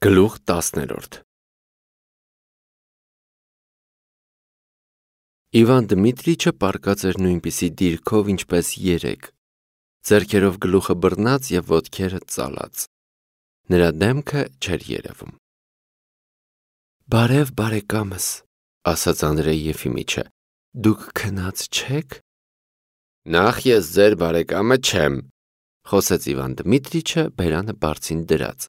Գլուխ 10-րդ Իվան Դմիտրիչը պառկած էր նույնպիսի դիրքով, ինչպես երեկ, ձեռքերով գլուխը բռնած և ոտքերը ծալած։ Նրա դեմքը չէր երևում։ «Բարև, բարեկամս», ասաց Անդրեյ Եֆիմիչը, «դուք քնած չե՞ք»։ «Նախ ես ձեր բարեկամը չեմ», խոսեց Իվան Դմիտրիչը բերանը բարձին դրած,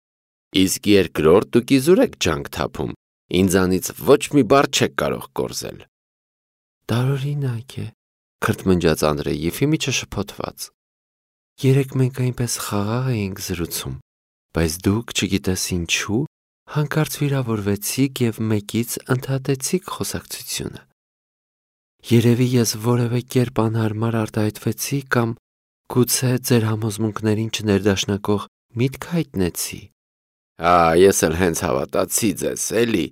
«իսկ երկրորդ դուք իզուր եք ջանք թափում, ինձանից ոչ մի բառ չեք կարող կորզել»։ «Տարօրինակ է», քրթմնջաց Անդրեյ Եֆիմիչը շփոթված, «երեկ մենք այնպես խաղաղ էինք զրուցում, բայց դուք չգիտես ինչու հանկարծ վիրավորվեցիք և մեկից ընդհատեցիք խոսակցությունը։ Երևի ես որևէ կերպ անհարմար արտահայտվեցի կամ գուցե ձեր համոզմունքներին չներդաշնակող միտք հայտնեցի»։ «Ես էլ հենց հավատացի ձեզ, էլի»,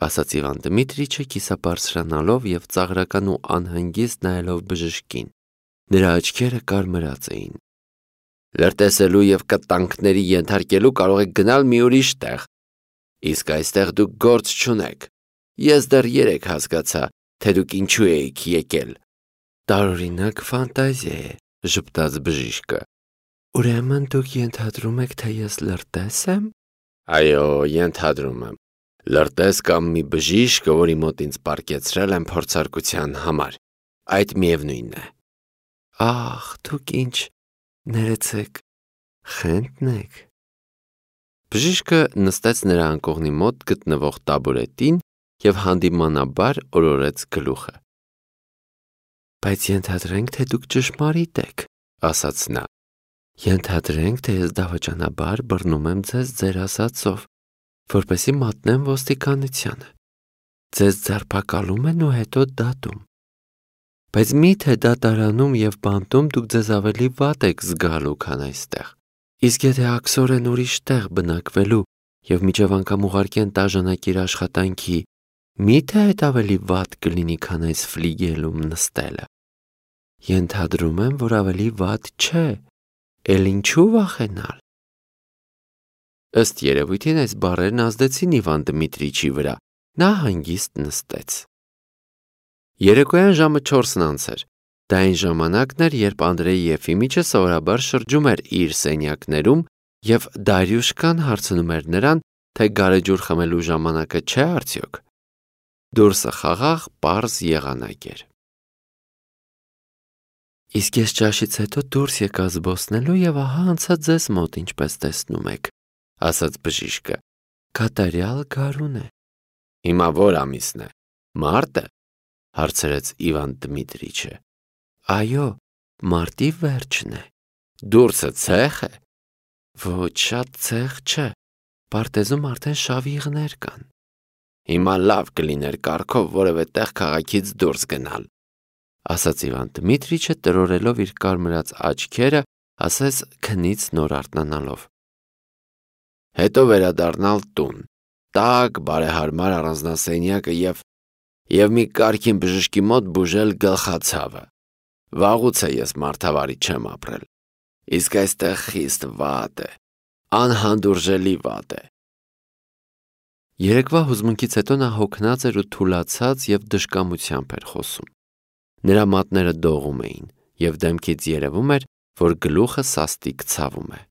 ասաց Իվան Դմիտրիչը կիսաբարձրանալով և ծաղրական ու անհանգիստ նայելով բժշկին։ Նրա աչքերը կարմրած էին։ «Լրտեսելու և կտանքների ենթարկելու կարող եք գնալ մի ուրիշ տեղ, իսկ այստեղ դուք գործ չունեք։ Ես դեռ երեկ հասկացա, թե դուք ինչու էիք եկել»։ «Տարօրինակ ֆանտազիա է», ժպտաց բժիշկը։ «Ուրեմն դուք ենթադրում եք, թե ես լրտես եմ»։ «Այո, ենթադրում եմ, լրտես կամ մի բժիշկը, որի մոտ ինձ պառկեցրել են փորձարկության համար, այդ միևնույնն է»։ «Ախ, դուք ինչ, ներեցեք, խենթն եք»։ Բժիշկը նստեց նրա անկողնի մոտ գտնվող տաբուրետին և հանդիմանաբար օրորեց գլուխը։ «Բայց ենթադրենք, թե դուք ճշմարիտ եք», ասաց նա։ «Ենթադրենք, թե ես դավաճանաբար բռնում եմ ձեզ ձեր ասածով, որպեսզի մատնեմ ոստիկանությանը։ Ձեզ ձերբակալում են ու հետո դատում։ Բայց մի՞թե դատարանում և բանտում դուք ձեզ ավելի վատ եք զգալու, քան այստեղ։ Իսկ եթե աքսորեն ուրիշ տեղ բնակվելու և մինչև անգամ ուղարկեն տաժանակիր աշխատանքի, մի՞թե այդ ավելի վատ կլինի, քան այս ֆլիգելում նստելը։ Ենթադրում եմ, որ ավելի վատ չէ, էլ ինչու վախենալ»։ Ըստ երևույթին այս բառերն ազդեցին Իվան Դմիտրիչի վրա, նա հանգիստ նստեց։ Երեկոյան ժամը 4-ն անց էր։ Դա այն ժամանակն էր, երբ Անդրեյ Եֆիմիչը սովորաբար շրջում էր իր սենյակներում և Դարյուշկան հարցնում էր նրան, թե գարեջուր խմելու ժամանակը չէ արդյոք։ Դուրսը խաղաղ պարզ եղանակ էր։ «Իսկ ես ճաշից հետո դուրս եկա զբոսնելու և ահա անցա ձեզ մոտ, ինչպես տեսնում եք», ասաց բժիշկը։ «Կատարյալ գարուն է»։ «Հիմա ո՞ր ամիսն է, մարտը», հարցրեց Իվան Դմիտրիչը։ «Այո, մարտի վերջն է»։ «Դուրսը ցե՞խ է»։ «Ոչ, շատ ցեղ չէ, պարտեզում արդեն շավիղներ կան»։ «Հիմա լավ կլիներ կառքով որևէ տեղ քաղաքից դուրս գնալ», ասաց Իվան Դմիտրիչը տրորելով իր կարմրած աչքերը, ասես քնից նոր արթնանալով։ «Հետո վերադառնալ տուն, տաք, բարեհարմար առանձնասենյակը և մի կարգին բժշկի մոտ բուժել գլխացավը։ Վաղուց է ես մարդավարի չեմ ապրել, իսկ այստեղ խիստ վատ է, անհանդուրժելի վատ է»։ Երեկվա հուզմունքից հետո նա հոգնած էր ու թուլացած և դժկամությամբ էր խոսում։ Նրա մատները դողում էին, և դեմքից երևում էր, որ գլուխը սաստիկ ցավում է։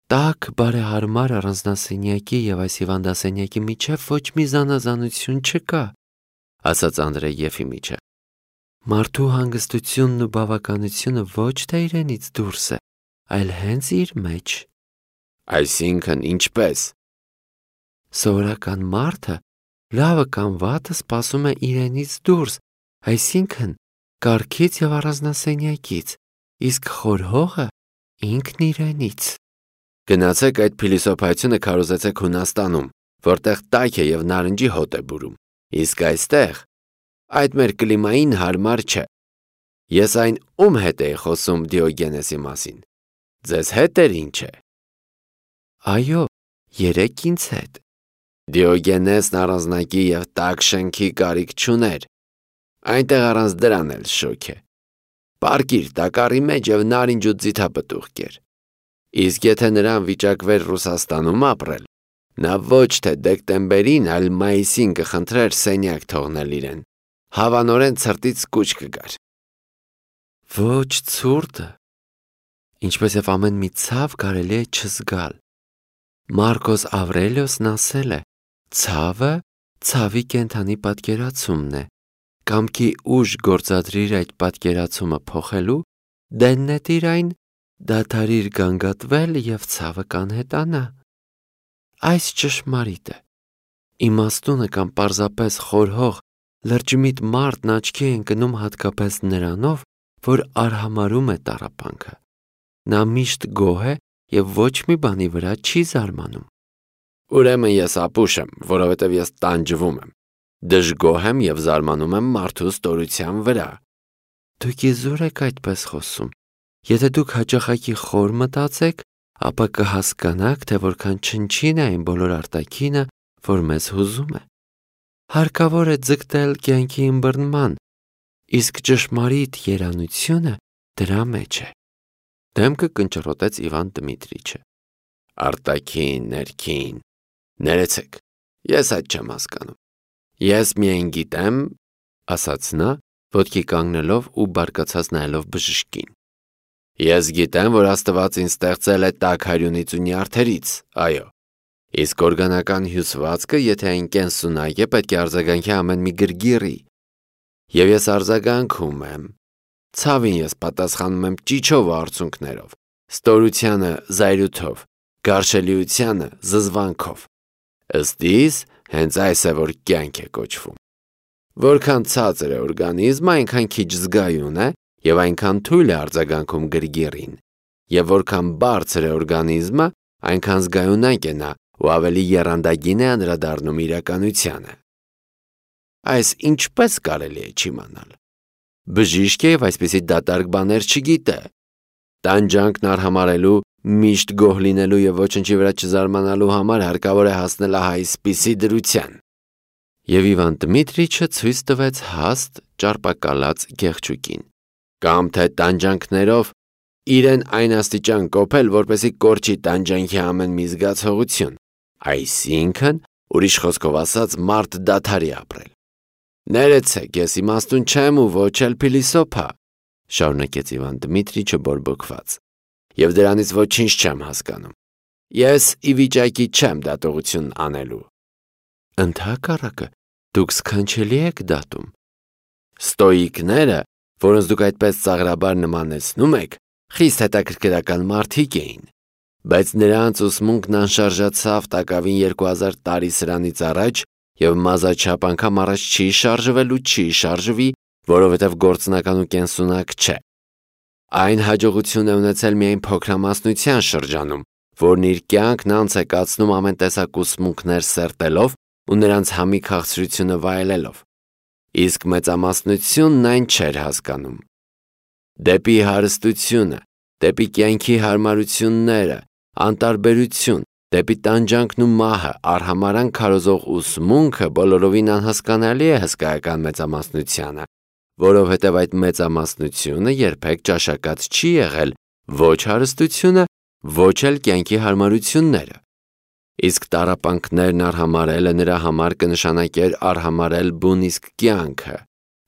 «Տաք, բարեհարմար առանձնասենյակի և այս հիվանդասենյակի միջև ոչ մի զանազանություն չկա», ասաց Անդրեյ Եֆիմիչը։ «Մարդու հանգստությունն ու բավականությունը ոչ թե իրենից դուրս է, այլ հենց իր մեջ»։ «Այսինքն ինչպե՞ս»։ «Սովորական մարդը լավը կամ վատը սպասում է իրենից դուրս, այսինքն կառքից և առանձնասենյակից, իսկ խորհողը ինքն իրենից»։ «Գնացեք այդ փիլիսոփայությունը քարոզեցեք Հունաստանում, որտեղ տաք է և նարնջի հոտ է բուրում, իսկ այստեղ այդ մեր կլիմային հարմար չէ։ Ես այն ում հետ էի խոսում Դիոգենեսի մասին, ձեզ հետ էր ինչ է»։ «Այո, երեկ ինձ հետ»։ «Դիոգենեսն առանձնակի և տաք շենքի կարիք չուներ, այնտեղ առանց դրան էլ շոգ է։ Պառկիր տակառի մեջ և նարինջ ու ձիթապտուղ կեր։ Իսկ եթե նրան վիճակվեր Ռուսաստանում ապրել, Նա ոչ թե դեկտեմբերին, այլ մայիսին կխնդրեր սենյակ թողնել իրեն, հավանորեն ցրտից կուչ կգար։ Ոչ ցուրտը, ինչպես և ամեն մի ցավ կարելի է չզգալ։ Մարկոս Ավրելիոսն ասել է. ցավը ցավի կենդանի պատկերացումն է, կամքի ուժ գործադրիր այդ պատկերացումը փոխելու, դեն նետիր այն, դադարիր գանգատվել և ցավը կանհետանա։ Այս ճշմարիտ է։ Իմաստունը կամ պարզապես խորհող լրջմիտ մարդն աչքի է ընկնում հատկապես նրանով, որ արհամարհում է տառապանքը։ Նա միշտ գոհ է և ոչ մի բանի վրա չի զարմանում։ Ուրեմն ես ապուշ եմ, որովհետև ես տանջվում եմ, դժգոհ եմ և զարմանում եմ մարդու ստորության վրա։ Դուք իզուր եք այդպես խոսում։ Եթե դուք հաճախակի խոր մտածեք, ապա կհասկանաք, թե որքան չնչին է այն բոլոր արտաքինը, որ մեզ հուզում է։ Հարկավոր է ձգտել կյանքի ըմբռնման, իսկ ճշմարիտ երանությունը դրա մեջ է։ Դեմքը կնճռոտեց Իվան Դմիտրիչը։ Արտաքին, ներքին, ներեցեք, ես այդ չեմ հասկանում։ Ես միայն գիտեմ, ասաց նա, ոտքի կանգնելով ու բարկացած նայելով բժշկին։ Ես գիտեմ, որ Աստված ինձ ստեղծել է տաք հարյունից ու նյարդերից, այո, իսկ օրգանական հյուսվածքը, եթե այն կենսունակ է, պետք է արձագանքի ամեն մի գրգիռի։ Եվ ես արձագանքում եմ։ Ցավին ես պատասխանում եմ ճիչով ու արցունքներով, ստորությանը զայրույթով, գարշելիությանը զզվանքով։ Ըստ իս, հենց այս է, որ կյանք է կոչվում։ Որքան ցածր է օրգանիզմը, այնքան քիչ զգայուն է և այնքան թույլ է արձագանքում գրգիռին, և որքան բարձր է օրգանիզմը, այնքան զգայունակ է նա ու ավելի եռանդագին է անդրադառնում իրականությանը։ Այս ինչպես կարելի է չիմանալ։ Բժիշկ է և այսպիսի դատարկ բաներ չգիտե։ Տանջանքն արհամարհելու, միշտ գոհ լինելու և ոչնչի վրա չզարմանալու համար հարկավոր է հասնել ահա այսպիսի դրության։ Եվ Իվան Դմիտրիչը ցույց տվեց հաստ ճարպակալած գեղչուկին։ Կամ թե տանջանքներով իրեն այն աստիճան կոփել, որպեսզի կորչի տանջանքի ամեն մի զգացողություն, այսինքն, ուրիշ խոսքով ասած, մարդ դադարի ապրել։ Ներեցեք, ես իմաստուն չեմ ու ոչ էլ փիլիսոփա, շարունակեց Իվան Դմիտրիչը բորբոքված, և դրանից ոչինչ չեմ հասկանում։ Ես ի վիճակի չեմ դատողություն անելու։ Ընդհակառակը, դուք սքանչելի եք դատում։ Ստոիկները, որոնց դուք այդպես ծաղրաբար նմանեցնում եք, խիստ հետաքրքրական մարդիկ էին, բայց նրանց ուսմունքն անշարժացավ տակավին 2000 տարի սրանից առաջ և մազաչափ անգամ առաջ չի շարժվել ու չի շարժվի, որովհետև գործնական ու կենսունակ չէ։ Այն հաջողություն է ունեցել միայն փոքրամասնության շրջանում, որն իր կյանքն անց է կացնում ամեն տեսակ ուսմունքներ սերտելով ու նրանց համի քաղցրությունը վայելելով, իսկ մեծամասնությունն այն չէր հասկանում։ Դեպի հարստությունը, դեպի կյանքի հարմարությունները, անտարբերություն, դեպի տանջանքն ու մահը արհամարհանք քարոզող ուսմունքը բոլորովին անհասկանալի է հսկայական մեծամասնությանը, որովհետև այդ մեծամասնությունը երբեք ճաշակած չի եղել ոչ հարստությունը, ոչ էլ կյանքի հարմարությունները։ Իսկ տառապանքներն արհամարհելը նրա համար կնշանակեր արհամարհել բուն իսկ կյանքը,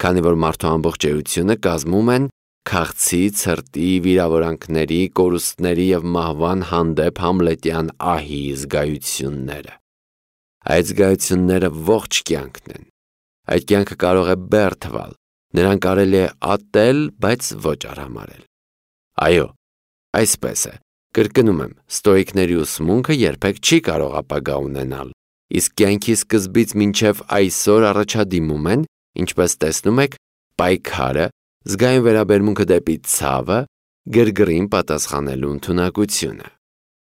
քանի որ մարդու ամբողջ էությունը կազմում են քաղցի, ցրտի, վիրավորանքների, կորուստների և մահվան հանդեպ համլետյան ահի զգայությունները։ Այդ զգայությունները ողջ կյանքն են։ Այդ կյանքը կարող է բեռ թվալ, նրան կարելի է ատել, բայց ոչ արհամարհել։ Այո, այսպես է, կրկնում եմ, ստոիկների ուսմունքը երբեք չի կարող ապագա ունենալ, իսկ կյանքի սկզբից մինչև այսօր առաջադիմում են, ինչպես տեսնում եք, պայքարը, զգայուն վերաբերմունքը դեպի ցավը, գրգռին պատասխանելու ընդունակությունը։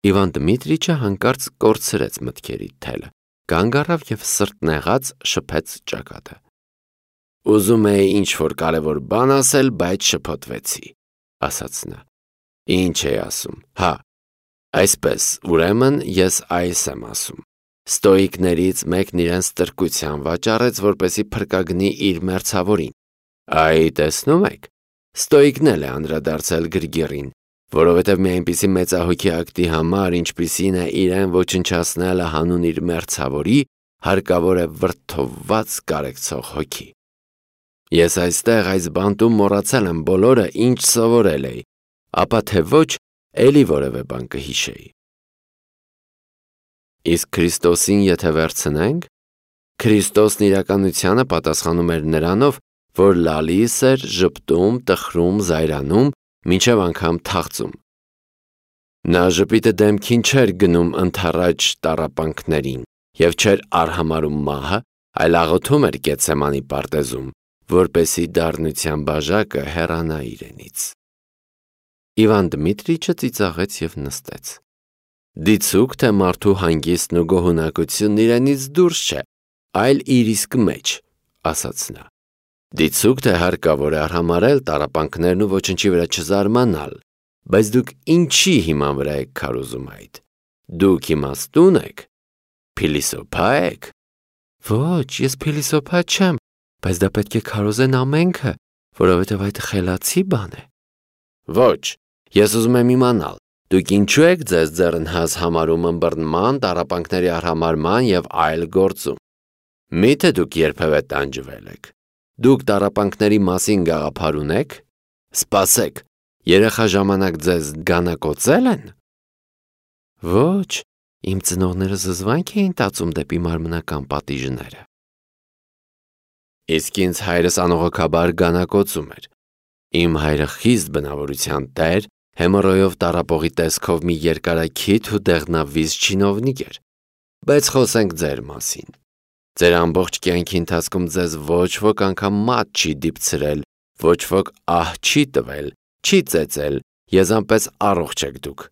Իվան Դմիտրիչը հանկարծ կորցրեց մտքերի թելը, կանգ առավ և սրտնեղած շփեց ճակատը։ Ուզում էի ինչ-որ կարևոր բան ասել, բայց շփոթվեցի, ասաց նա։ Ինչ էի ասում, հա, այսպես, ուրեմն ես այս եմ ասում. ստոիկներից մեկն իրեն ստրկության վաճառեց, որպեսզի փրկագնի իր մերձավորին։ Այ տեսնում եք, ստոիկն էլ է անդրադարձել գրգիռին, որովհետև մի այնպիսի մեծահոգի ակտի համար, ինչպիսին է իրեն ոչնչացնելը հանուն իր մերձավորի, հարկավոր է վրդովված կարեկցող հոգի։ Ես այստեղ այս բանտում մոռացել եմ բոլորը, ինչ սովորել էի, ապա թե ոչ, էլի որևէ բան կհիշեի։ Իսկ Քրիստոսին եթե վերցնենք, Քրիստոսն իրականությանը պատասխանում էր նրանով, որ լալիս էր, ժպտում, տխրում, զայրանում, մինչև անգամ թախծում։ Նա ժպիտը դեմքին չէր գնում ընդառաջ տառապանքներին և չէր արհամարհում մահը, այլ աղոթում էր Գեթսեմանի պարտեզում, որպեսզի դառնության բաժակը հեռանա իրենից։ Իվան Դմիտրիչը ծիծաղեց և նստեց։ Դիցուք, թե մարդու հանգիստն ու գոհունակությունն իրենից դուրս չէ, այլ իր իսկ մեջ, ասաց նա։ Դիցուք, թե հարկավոր է արհամարհել տառապանքներն ու ոչնչի վրա չզարմանալ, բայց դուք ինչի հիման վրա եք քարոզում այդ։ Դուք իմաստուն եք, փիլիսոփա եք։ Ոչ, ես փիլիսոփա չեմ, բայց դա պետք է քարոզեն ամենքը, որովհետև այդ խելացի բան է։ Ոչ, ես ուզում եմ իմանալ, դուք ինչու եք ձեզ ձեռնհազ համարում ըմբռնման, տառապանքների արհամարհման և այլ գործում։ Միթե դուք երբևէ տանջվել եք։ Դուք տառապանքների մասին գաղափար ունեք։ Սպասեք, երեխա ժամանակ ձեզ գանակոծել են։ Ոչ, իմ ծնողները զզվանք էին տածում դեպի մարմնական պատիժները։ Իսկ ինձ հայրս անողոքաբար գանակոծում էր։ Իմ հայրը խիստ բնավորության տեր, հեմոռոյով տառապողի տեսքով մի երկարաքիթ ու դեղնավիզ չինովնիկ էր։ Բայց խոսենք ձեր մասին։ Ձեր ամբողջ կյանքի ընթացքում ձեզ ոչ ոք անգամ մատ չի դիպցրել, ոչ ոք ահ չի տվել, չի ծեծել, եզանպես առողջ եք դուք։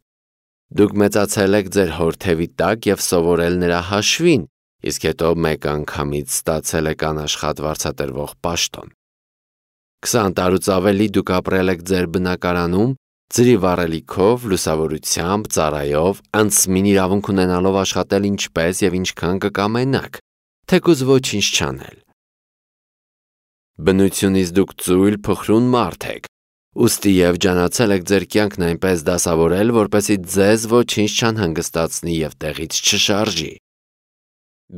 Դուք մեծացել եք ձեր հորթևի տակ և սովորել նրա հաշվին, իսկ հետո մեկ անգամից ստացել եք անաշխատ վարձատրվող պաշտոն։ 20 տարուց ավելի դուք ապրել եք ձեր բնակարանում, ձրի վառելիքով, լուսավորությամբ, ծառայով, անձնին իրավունք ունենալով աշխատել ինչպես և ինչքան կկամենաք, թեկուզ ոչինչ չանել։ Բնությունից դուք ծույլ փխրուն մարդ եք, ուստի և ջանացել եք ձեր կյանքն այնպես դասավորել, որպեսզի ձեզ ոչինչ չանհանգստացնի և տեղից չշարժի։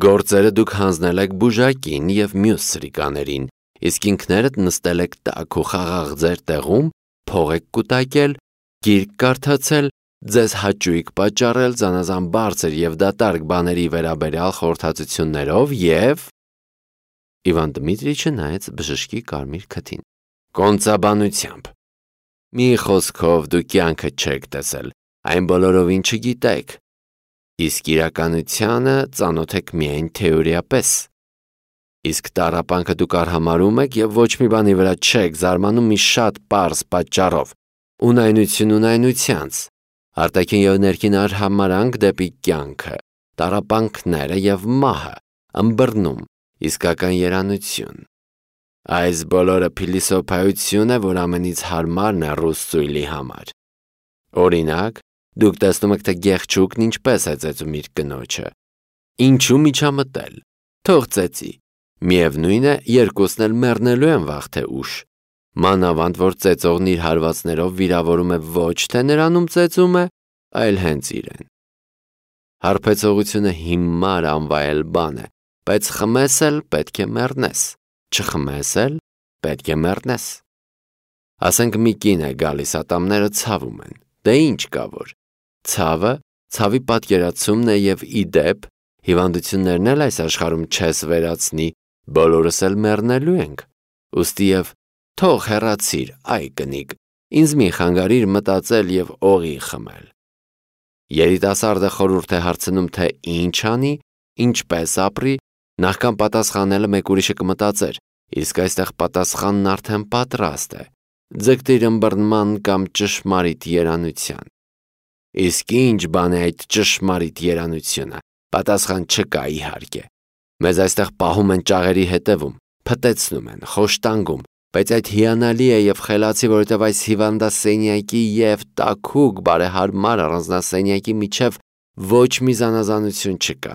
Գործերը դուք հանձնել եք բուժակին և մյուս սրիկաներին, իսկ ինքներդ նստել եք տաք ու խաղաղ ձեր տեղում, փող եք կուտակել, գիրք կարդացել, ձեզ հաճույք պատճառել զանազան բարձր և դատարկ բաների վերաբերյալ խորհրդածություններով և… Իվան Դմիտրիչը նայեց բժշկի կարմիր քթին։ Կոնծաբանությամբ։ Մի խոսքով դուք կյանքը չեք տեսել, այն բոլորովին չգիտեք, իսկ իրականությանը ծանոթ եք միայն թեորիապես։ Իսկ տառապանքը դուք արհամարհում եք և ոչ մի բանի վրա չեք զարմանում մի շատ պարզ պատճառով՝ ունայնություն ունայնությանց, արտաքին և ներքին արհամարհանք դեպի կյանքը, տառապանքները և մահը, ըմբռնում, իսկական երանություն։ Այս բոլորը փիլիսոփայություն է, որ ամենից հարմարն է ռուս ծույլի համար։ Օրինակ, դուք տեսնում եք, թե գեղչուկն ինչպես է ծեծում իր կնոջը։ Ինչու միջամտել։ Թող ծեծի։ Միևնույն է, երկուսն էլ մեռնելու են վաղ թե ուշ։ Մանավանդ, որ ծեծողն իր հարվածներով վիրավորում է ոչ թե նրանում ծեծում է, այլ հենց իրեն։ Հարբեցողությունը հիմար անվայել բան է, բայց խմես էլ պետք է մեռնես, չխմես էլ պետք է մեռնես։ Ասենք մի կին է գալիս, ատամները ցավում են, դե ինչ կա որ։ Ցավը, ցավի պատկերացումն է և ի դեպ, հիվանդություններն էլ այս աշխարհում չես վերացնի, բոլորս էլ մեռնելու ենք, ուստի և թող հեռացիր, այ կնիկ, ինձ մի խանգարիր մտածել և օղի խմել։ Երիտասարդը խորհուրդ է հարցնում, թե ինչ անի, ինչպես ապրի, նախքան պատասխանելը մեկ ուրիշը կմտածեր, իսկ այստեղ պատասխանն արդեն պատրաստ է, ձգտիր ըմբռնման կամ ճշմարիտ երանության։ Իսկ ինչ բան է այդ ճշմարիտ երանությունը, պատասխան չկա իհարկե։ Մեզ այստեղ պահում են ճաղերի հետևում, փտեցնում են, խոշտանգում, բայց այդ հիանալի է և խելացի, որովհետև այս հիվանդասենյակի և տաքուկ բարեհարմար առանձնասենյակի միջև ոչ մի զանազանություն չկա։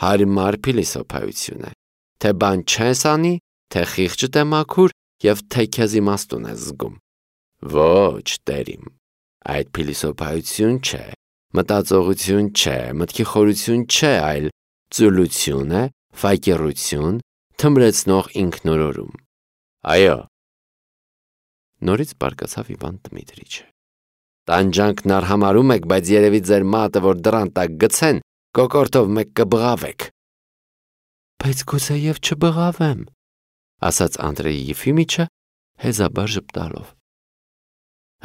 Հարմար փիլիսոփայություն է, թե բան չես անի, թե խիղճդ է մաքուր և թե քեզ իմաստուն ես զգում։ Ոչ, տեր իմ, Այդ փիլիսոփայություն չէ, մտածողություն չէ, մտքի խորություն չէ, այլ ծուլություն է, ֆակերություն, թմրեցնող ինքնորորում։ Այո։ Նորից բարկացավ Իվան Դմիտրիչը։ Տանջանքն արհամարում եք, բայց երևի ձեր մատը, որ դռան տակ գցեն, կոկորտով մեկ կբղավեք։ Բայց գուցեև չբղավեմ, ասաց Անդրեյ Եֆիմիչը հեզաբար ժպտալով։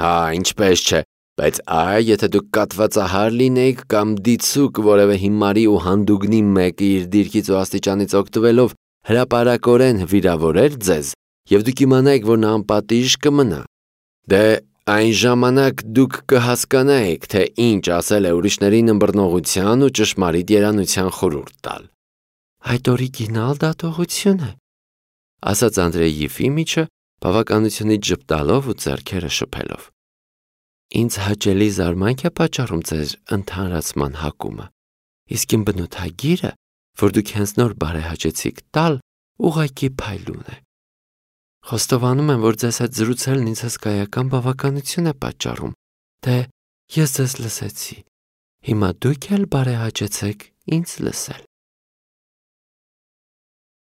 Հա, ինչպես չէ, բայց եթե դուք կատվածահար լինեիք կամ դիցուկ որևէ հիմարի ու հանդուգնի մեկը իր դիրքից ու աստիճանից օգտվելով հրապարակորեն վիրավորեր ձեզ, եւ դուք իմանայիք, որ նա անպատիժ կմնա, դե այն ժամանակ դուք կհասկանայիք, թե ինչ ասել է ուրիշներին ըմբռնողության ու ճշմարիտ երանության խորհուրդ տալ։ Այդ օրիգինալ դատողություն է, ասաց Անդրեյ Եֆիմիչը բավականությունից ժպտալով ու ձեռքերը շփելով։ Ինձ հաճելի զարմանք է պատճառում ձեր ընդհանրացման հակումը, իսկ իմ բնութագիրը, որ դուք հենց նոր բարեհաճեցիք տալ, ուղղակի փայլուն է։ Խոստովանում եմ, որ ձեզ հետ զրուցելն ինձ հսկայական բավականություն է պատճառում, թե ես ձեզ լսեցի, հիմա դուք էլ բարեհաճեցեք ինձ լսել։